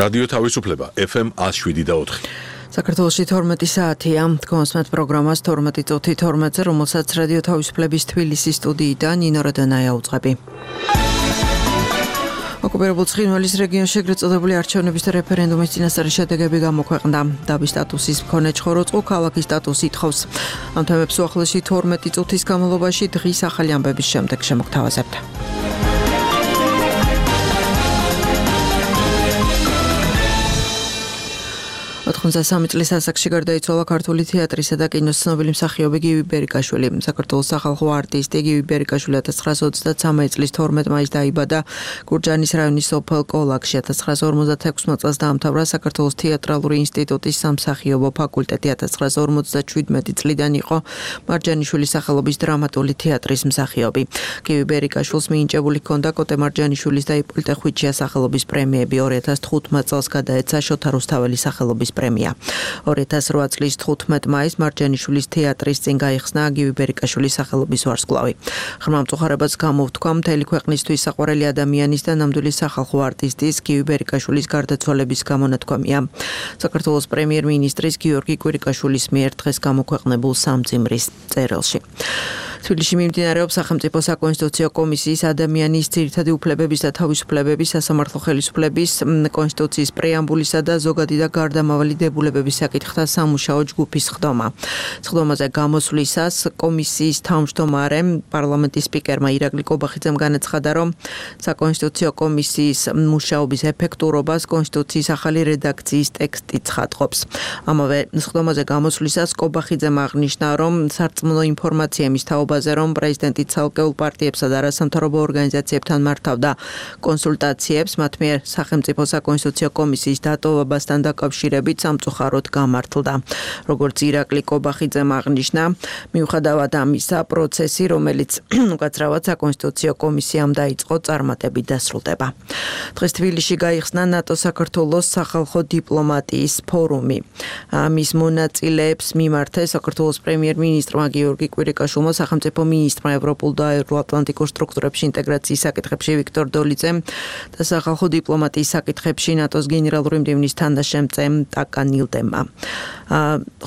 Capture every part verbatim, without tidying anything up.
რადიო თავისუფლება ეფ ემ one oh seven და four. საქართველოში თორმეტი საათია. თქვენს პროგრამას თორმეტი წუთი თორმეტზე, რომელსაც რადიო თავისუფლების თბილისის სტუდიიდან ნინო როდონაია უძღვები. ოკუპირებულ ცხინვალის რეგიონში ეგრეთ წოდებული არჩევნების და რეფერენდუმის წინასწარი შედეგები გამოქვეყნდა. დაბის სტატუსის მქონე ჩხოროწყუ ქალაქის სტატუსს ითხოვს. ამ თემებს უახლოესი თორმეტი წუთის განმავლობაში დღის ახალი ამბების შემდეგ შემოგთავაზებთ. ოთხმოცდასამი წლის ასაკში გარდაიცვალა ქართული თეატრისა და კინოს ცნობილი მსახიობი გივი ბერიკაშვილი. საქართველოს სახალხო არტისტი გივი ბერიკაშვილი ათას ცხრაასა ოცდაცამი წლის თორმეტ მაისს დაიბადა გურჯაანის რაიონის სოფელ კოლაკში. ათას ცხრაასა ორმოცდათექვსმე წელს დაამთავრა საქართველოს თეატრალური ინსტიტუტის სამსახიობო ფაკულტეტი. ათას ცხრაასა ორმოცდაჩვიდმეტი წლიდან იყო მარჯანიშვილის სახელობის დრამატული თეატრის მსახიობი. გივი ბერიკაშვილს მინიჭებული ჰქონდა კოტე მარჯანიშვილის და იპოლიტე ხვიჩიას სახელობის პრემიები. ორი ათას თხუთმეტ წელს გადაეცა შოთა რუსთაველის სახელობის პრემია. ორი ათას რვა წლის თხუთმეტ მაისს მარჯანიშვილის თეატრის წინ გაიხსნა გივი ბერიკაშვილის სახელობის ვარსკვლავი. ღრმა მწუხარებას გამოვთქვა მთელი ქვეყნისთვის საყვარელი ადამიანის და ნამდვილი სახალხო არტისტის გივი ბერიკაშვილის გარდაცვალების გამონათქვამია. საქართველოს პრემიერ-მინისტრის გიორგი კვირიკაშვილის მიერ დღეს გამოქვეყნებულ სამძიმრის წერილში. თბილისში მიმდინარეობს სახელმწიფო საკონსტიტუციო კომისიის ადამიანის ძირითადი უფლებების და თავისუფლებების სასამართლო ხელისუფლების კონსტიტუციის პრეამბულისა და ზოგადი და გარდამავალი დებულებების საკითხთა სამუშაო ჯგუფის ხდომა. ხდომაზე გამოსვლისას კომისიის თავმჯდომარემ პარლამენტის სპიკერმა ირაკლი კობახიძემ განაცხადა, რომ საკონსტიტუციო კომისიის მუშაობის ეფექტურობას კონსტიტუციის ახალი რედაქციის ტექსტი ცხადყოფს. ამავე ხდომაზე გამოსვლისას კობახიძემ აღნიშნა, რომ სარწმუნო ინფორმაცია იმის თაობაზე, რომ პრეზიდენტი ცალკეულ პარტიებსა და არასამთავრობო ორგანიზაციებთან მართავდა კონსულტაციებს, მათ მიერ სახელმწიფო საკონსტიტუციო კომისიის დატოვებასთან დაკავშირებით სამწუხაროდ გამართლდა. როგორც ირაკლი კობახიძემ აღნიშნა, მიუხედავად ამისა, პროცესი, რომელიც უკაცრავად საკონსტიტუციო კომისიამ დაიწყო, წარმატებით დასრულდება. დღეს თბილისში გაიხსნა ნატო-საქართველოს სახალხო დიპლომატიის ფორუმი. ამის მონაწილეებს მიმართეს საქართველოს პრემიერ-მინისტრმა გიორგი კვირიკაშვილმა, სახელმწიფო მინისტრმა ევროპულ და ევროატლანტიკურ სტრუქტურებში ინტეგრაციის საკითხებში ვიქტორ დოლიძემ და სახალხო დიპლომატიის საკითხებში ნატოს გენერალური მდივნის თანაშემწემ ტაკა ნილდემმა.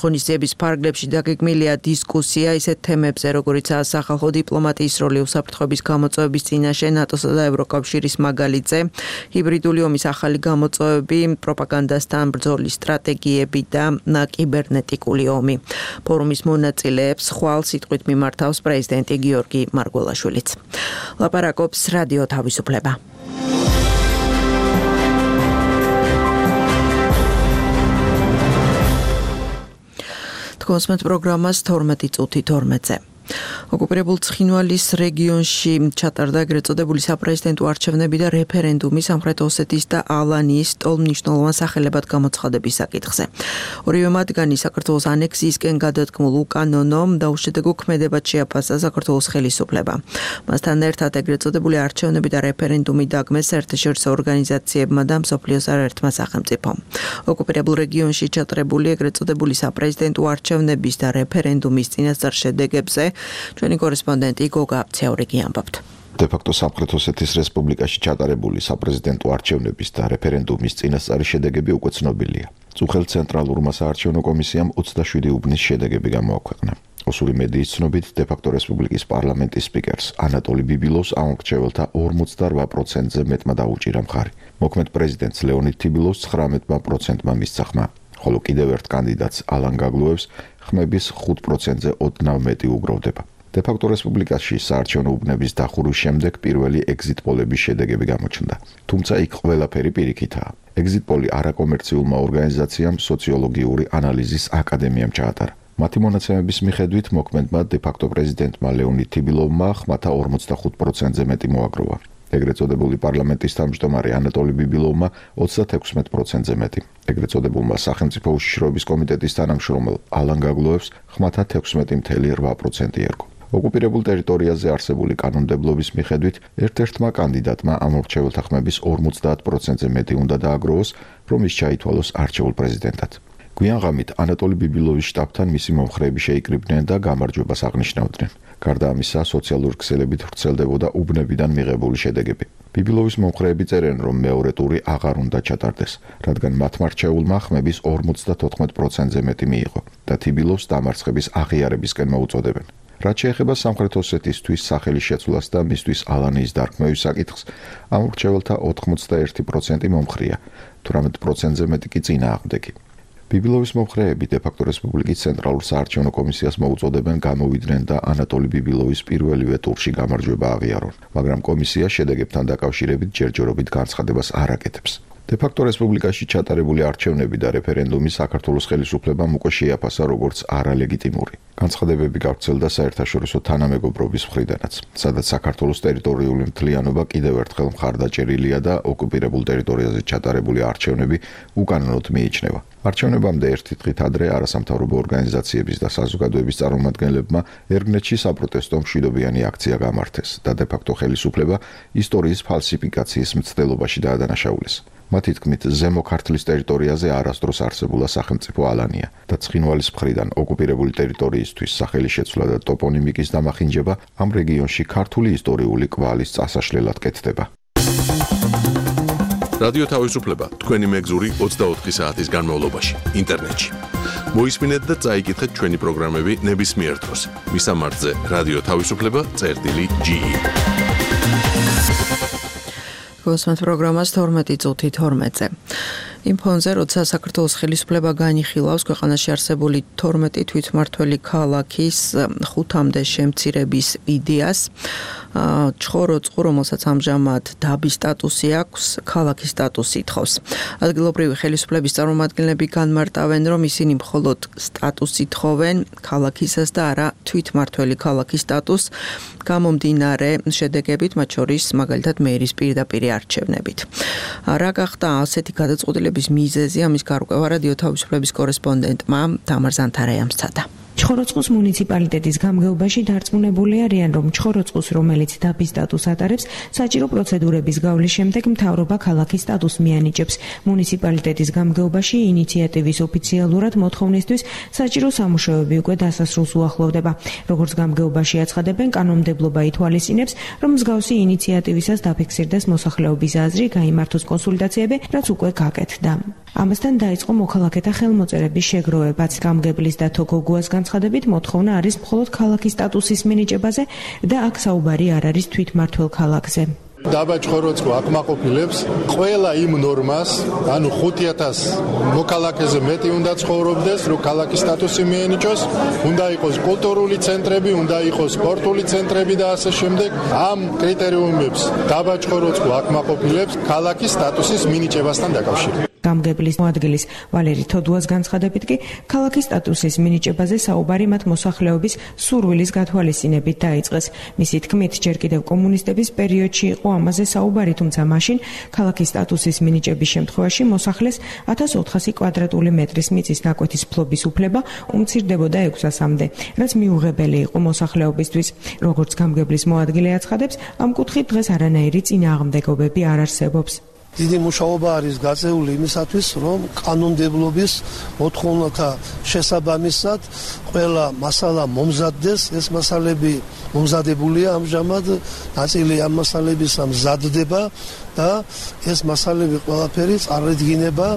ღონისძიების ფარგლებში დაგეგმილია დისკუსია ისეთ თემებზე, როგორიცაა სახალხო დიპლომატიის როლი უსაფრთხოების გამოწვევების წინაშე ნატოსა და ევროკავშირის მაგალითზე, ჰიბრიდული ომის ახალი გამოწვევები, პროპაგანდასთან ბრძოლის სტრატეგიები და კიბერნეტიკული ომი. ფორუმის მონაწილეებს ხვალ სიტყვით მიმართავს პრეზიდენტი გიორგი მარგველაშვილიც. ლაპარაკობს რადიო თავისუფლება. თქვენს პროგრამას თორმეტი წუთი თორმეტზე. ოკუპირებულ ცხინვალის რეგიონში ჩატარდა ეგრეთ წოდებული საპრეზიდენტო არჩევნები და რეფერენდუმი სამხრეთ ოსეთის და ალანიის ტოლმნიშვნელოვან სახელებად გამოცხადების საკითხზე. ორივე მათგანი საქართველოს ანექსიისკენ გადადგმულ უკანონო და უშედეგო ქმედებად შეაფასა საქართველოს ხელისუფლება. მასთან ერთად ეგრეთ წოდებული არჩევნები და რეფერენდუმი დაგმეს საერთაშორისო ორგანიზაციებმა და მსოფლიოს არაერთმა სახელმწიფომ. ოკუპირებულ რეგიონში ჩატარებული ეგრეთ წოდებული საპრეზიდენტო არჩევნების და რეფერენდუმის წინასწარ შედეგებზე ჩვენი კორესპონდენტი გოგა აფცეურიგი ამბობთ. De facto სამხრეთ ოსეთის რესპუბლიკაში ჩატარებული საპრეზიდენტო არჩევნების და რეფერენდუმის წინასწარი შედეგები უკვე ცნობილია. წუხელ ცენტრალურმა საარჩევნო კომისიამ ოცდაშვიდი უბნის შედეგები გამოაქვეყნა. ოსური მედიის ცნობით, de facto რესპუბლიკის პარლამენტის სპიკერს ანატოლი ბიბილოვს ამ მრჩეველთა ორმოცდარვა პროცენტზე მეტმა დაუჭირა მხარი. მოქმედ პრეზიდენტს ლეონიდ თიბილოვს ცხრამეტ პროცენტმა მისცა ხმა. ხოლო კიდევ ერთ კანდიდატს ალან გაგლუევს ხმების ხუთ პროცენტზე ოდნავ მეტი უგროვდება. De facto რესპუბლიკაში საარჩევნო უბნების დახურვის შემდეგ პირველი ეგზიტ პოლების შედეგები გამოჩნდა. თუმცა იქ ყველაფერი პირიქითაა. ეგზიტ პოლი არაკომერციულმა ორგანიზაციამ სოციოლოგიური ანალიზის აკადემიამ ჩაატარა. მათი მონაცემების მიხედვით მოქმედმა de facto პრეზიდენტმა ლეონიდ თიბილოვმა ხმათა ორმოცდახუთ პროცენტზე მეტი მოაგროვა. ეგრეთ წოდებული პარლამენტის თავმჯდომარე ანატოლი ბიბილოვმა ოცდათექვსმეტ პროცენტზე მეტი. ეგრეთ წოდებულმა სახელმწიფო უშიშროების კომიტეტის თანამშრომელ ალან გაგლუევს ხმათა თექვსმეტი კoma რვა პროცენტი ერგო. ოკუპირებულ ტერიტორიაზე არსებული კანონმდებლობის მიხედვით ერთ-ერთმა კანდიდატმა ამ მრჩეველთა ხმების ორმოცდაათ პროცენტზე მეტი უნდა დააგროვოს, რომ ის ჩაითვალოს არჩეულ პრეზიდენტად. გვიან ღამით ანატოლი ბიბილოვის შტაბთან მისი მომხრეები შეიკრიბნენ და გამარჯვებას აღნიშნავდნენ. გარდა ამისა, სოციალური ქსელებით ვრცელდებოდა უბნებიდან მიღებული შედეგები. ბიბილოვის მომხრეები წერენ, რომ მეორე ტური აღარ უნდა ჩატარდეს, რადგან მათმა რჩეულმა ხმების ორმოცდათოთხმეტ პროცენტზე მეტი მიიღო და თიბილოვს დამარცხების აღიარებისკენ მოუწოდებენ. რაც შეეხება სამხრეთ ოსეთისთვის სახელის შეცვლას და მისთვის ალანიის დარქმევის საკითხს, ამ რჩეველთა ოთხმოცდაერთი პროცენტი მომხრია, თვრამეტ პროცენტზე მეტი კი წინააღმდეგი. ბიბილოვის მომხრეები დე-ფაქტო რესპუბლიკის ცენტრალურ საარჩევნო კომისიას მოუწოდებენ გამოვიდნენ და ანატოლი ბიბილოვის პირველივე ტურში გამარჯვება აღიარონ, მაგრამ კომისია შედეგებთან დაკავშირებით ჯერჯერობით განცხადებას არ აკეთებს. დე-ფაქტო რესპუბლიკაში ჩატარებული არჩევნები და რეფერენდუმი საქართველოს ხელისუფლებამ უკვე შეაფასა როგორც არალეგიტიმური. განცხადებები გავრცელდა საერთაშორისო თანამეგობრობის მხრიდანაც, სადაც საქართველოს ტერიტორიული მთლიანობა კიდევ ერთხელ მხარდაჭერილია და ოკუპირებულ ტერიტორიაზე ჩატარებული არჩევნები უკანონოდ მიიჩნევა. არჩევნებამდე ერთი დღით ადრე არასამთავრობო ორგანიზაციების და საზოგადოების წარმომადგენლებმა ერგნეთში საპროტესტო მშვიდობიანი აქცია გამართეს და დე-ფაქტო ხელისუფლება ისტორიის ფალსიფიკაციის მცდელობაში დაადანაშაულეს. მათი თქმით, ზემო ქართლის ტერიტორიაზე არასდროს არსებულა სახელმწიფო ალანია და ცხინვალის მხრიდან ოკუპირებული ტერიტორიისთვის სახელი შეცვლა და ტოპონიმიკის დამახინჯება ამ რეგიონში ქართული ისტორიული კვალის წასაშლელად კეთდება. რადიო თავისუფლება თქვენი მეგზური ოცდაოთხი საათის განმავლობაში ინტერნეტში. მოისმინეთ და წაიკითხეთ ჩვენი პროგრამები ნებისმიერ დროს. მისამართზე რადიო თავისუფლება წერტილი ჯი ი. გოსმენთ პროგრამას თორმეტი წუთი თორმეტზე. იმ ფონზე, როცა საქართველოს ხელისუფლება განიხილავს ქვეყანაში არსებული თორმეტი თვითმმართველი ქალაქის ხუთამდე შემცირების იდეას, ჩხოროწყუ, რომელსაც ამჟამად დაბის სტატუსი აქვს, ქალაქის სტატუსი ითხოვს. ადგილობრივი ხელისუფლების წარმომადგენლები განმარტავენ, რომ ისინი მხოლოდ სტატუსს ითხოვენ, ქალაქისას და არა თვითმმართველი ქალაქის სტატუსს, გამომდინარე შედეგებით, მათ შორის მაგალითად მერის პირდაპირი არჩევნებით. რა გახდა ასეთი გადაწყვეტილების მიზეზი, ამის გარკვევა რადიო თავისუფლების კორესპონდენტმა თამარ ზანთარაიამ სცადა. ჩხოროწყუს მუნიციპალიტეტის გამგეობაში დარწმუნებული არიან, რომ ჩხოროწყუს, რომელიც დაბის სტატუსს ატარებს, საჭირო პროცედურების გავლის შემდეგ მთავრობა ქალაქის სტატუსს მიანიჭებს. მუნიციპალიტეტის გამგეობაში ინიციატივის ოფიციალურად მოთხოვნისთვის საჭირო სამუშაოები უკვე დასასრულს უახლოვდება. როგორც გამგეობაში აცხადებენ, კანონმდებლობა ითვალისწინებს, რომ მსგავსი ინიციატივისას დაფიქსირდეს მოსახლეობის აზრი, გაიმართოს კონსულტაციები, რაც უკვე გაკეთდა. ამასთან დაიწყო მოქალაქეთა ხელმოწერების შეგროვებაც. გამგებლის და თოგოგუას განცხადებით, მოთხოვნა არის მხოლოდ ქალაქის სტატუსის მინიჭებაზე და აქ საუბარი არ არის თვითმმართველ ქალაქზე. დაბა ჩხოროწყუ აკმაყოფილებს ყველა იმ ნორმას, ანუ ხუთი ათასი მოქალაქეზე მეტი უნდა ცხოვრობდეს, რომ ქალაქის სტატუსი მიენიჭოს, უნდა იყოს კულტურული ცენტრები, უნდა იყოს სპორტული ცენტრები და ასე შემდეგ. ამ კრიტერიუმებს დაბა ჩხოროწყუ აკმაყოფილებს ქალაქის სტატუსის მინიჭებასთან დაკავშირებით. გამგებლის მოადგილის ვალერი თოდუას განცხადებით კი ქალაქის სტატუსის მინიჭებაზე საუბარი მათ მოსახლეობის სურვილის გათვალისწინებით დაიწყეს. მისი თქმით, ჯერ კიდევ კომუნისტების პერიოდში იყო ამაზე საუბარი, თუმცა მაშინ ქალაქის სტატუსის მინიჭების შემთხვევაში მოსახლეს ათას ოთხასი კვადრატული მეტრის მიწის ნაკვეთის ფლობის უფლება უმცირდებოდა ექვსასამდე, რაც მიუღებელი იყო მოსახლეობისთვის. როგორც გამგებლის მოადგილე აცხადებს, ამ კუთხით დღეს არანაირი წინააღმდეგობები არ არსებობს. დიდი მუშაობა არის გაწეული იმისათვის, რომ კანონმდებლობის მოთხოვნათა შესაბამისად ყველა მასალა მომზადდეს. ეს მასალები მომზადებულია ამჟამად, ნაწილი ამ მასალებისა მზადდება და ეს მასალები ყველაფერი წარედგინება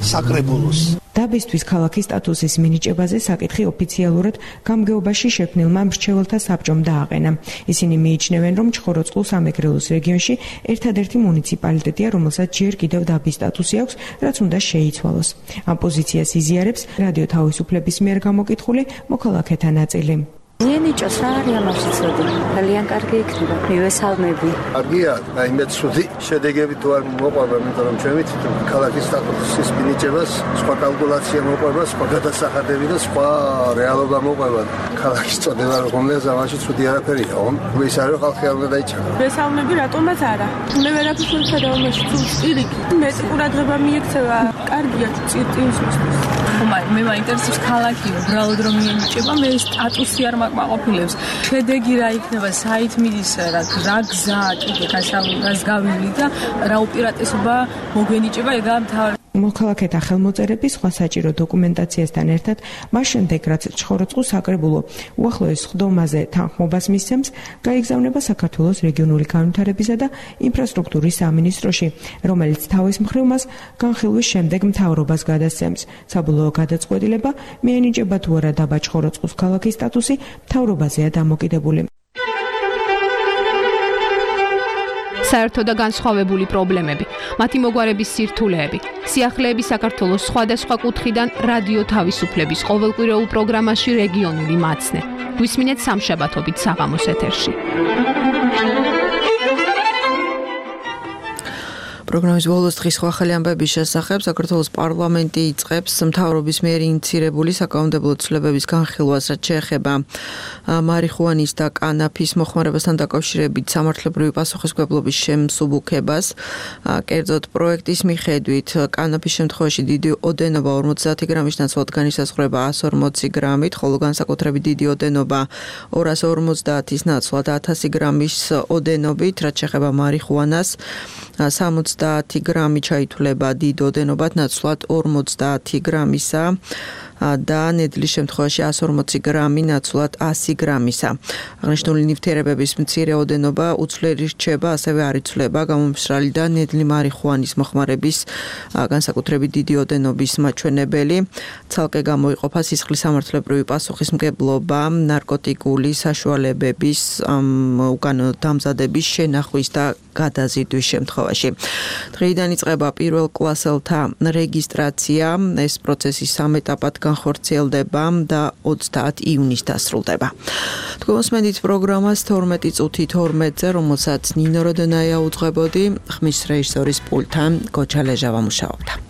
საკრებულოს. დაბისთვის ქალაქის სტატუსის მინიჭებაზე საკითხი ოფიციალურად გამგეობაში შექმნილმა მრჩეველთა საბჭომ დააყენა. ისინი მიიჩნევენ, რომ ჩხოროწყუ სამეგრელოს რეგიონში ერთადერთი მუნიციპალიტეტია, რომელსაც ჯერ კიდევ დაბის სტატუსი აქვს, რაც უნდა შეიცვალოს. ამ პოზიციას იზიარებს რადიო თავისუფლების მიერ გამოკითხული მოქალაქეთა ნაწილი. მიენიჭოს რა არის ამაში ცოდი? ძალიან კარგი იქნება. მივესალმები. კარგია, აი მე ცუდი შედეგები თუ არ მოყვება, იმიტომ რომ ჩვენ ვიცით, რომ ქალაქის სტატუსის მინიჭებას სხვა კალკულაცია მოყვება, სხვა გადასახადები და სხვა რეალობა მოყვება. ქალაქის წოდება რომელზეც ამაში ცუდი არაფერია, ხომ? ის არის რომ ხალხი არ უნდა დაიჩაგროს. მივესალმები, რატომაც არა? მე ვერაფერს ვერ ხედავ ამაში, თუ სტილიკი. მე ყურადღება მიექცევა, კარგია წირტინისთვის. ხომარ, მე მაინტერესებს ქალაქი, უბრალოდ რომ მიენიჭება, მე სტატუსი არ მაყოფილებს. შედეგი რა იქნება, საით მიდის, რა გზა, კიდე გასავლას გავილი და რა უპირატესობა მოგვენიჭება, ეგაა მთავარი. მოქალაქეთა ხელმოწერების სხვა საჭირო დოკუმენტაციასთან ერთად მას შემდეგ რაც ჩხოროწყუ საკრებულო უახლოეს ხდომაზე თანხმობას მისცემს, გაიგზავნება საქართველოს რეგიონული განვითარებისა და ინფრასტრუქტურის სამინისტროში, რომელიც თავის მხრივ მას განხილვის შემდეგ მთავრობას გადასცემს. საბოლოო გადაწყვეტილება მიენიჭება თუ არა დაბა ჩხოროწყუს ქალაქის სტატუსი მთავრობაზეა დამოკიდებული. საერთო და განსხვავებული პრობლემები, მათი მოგვარების სირთულეები, სიახლეები საქართველოს სხვადასხვა კუთხიდან რადიო თავისუფლების ყოველკვირეულ პროგრამაში რეგიონული მაცნე. გვისმინეთ სამშაბათობით საღამოს ეთერში. პროგრამის ბოლოს დღის ახალი ამბების შესახებ საქართველოს პარლამენტი იწყებს მთავრობის მიერ ინიციირებული საკანონმდებლო ცვლილებების განხილვას, რაც შეეხება მარიხუანის და კანაფის მოხმარებასთან დაკავშირებით სამართლებრივი პასუხისმგებლობის შემსუბუქებას. კერძოდ პროექტის მიხედვით კანაფის შემთხვევაში დიდი ოდენობა ორმოცდაათი გრამის ნაცვლად განისაზღვრება ასი ორმოცი გრამით, ხოლო განსაკუთრებით დიდი ოდენობა ორასი ორმოცდაათის ნაცვლად ათასი გრამის ოდენობით, რაც შეეხება მარიხუანას სამოცდაათი გრამი ჩაითვლება დიდ ოდენობად, ნაცვლად ორმოცდაათი გრამისა და ნედლის შემთხვევაში ასი ორმოცი გრამი ნაცვლად ასი გრამისა. აღნიშნული ნივთიერებების მცირე ოდენობა უცვლელი რჩება, ასევე არ იცვლება გამომცრალი და ნედლი მარიხუანის მოხმარების განსაკუთრებით დიდი ოდენობის მაჩვენებელი. ცალკე გამოიყოფა სისხლის სამართლებრივი პასუხისმგებლობა ნარკოტიკული საშუალებების უკანონო დამზადების შენახვის და გადაზიდვის შემთხვევაში. დღეიდან იწყება პირველ კლასელთა რეგისტრაცია, ეს პროცესი სამ ეტაპად განხორციელდება და ოცდაათი ივნისს დასრულდება. თქვენ მოსმენთ პროგრამას თორმეტი წუთი თორმეტზე, რომელსაც ნინო როდონაია უძღვებოდი, ხმის რეჟისორის პულტთან გოჩა ლეჟავა მუშაობდა.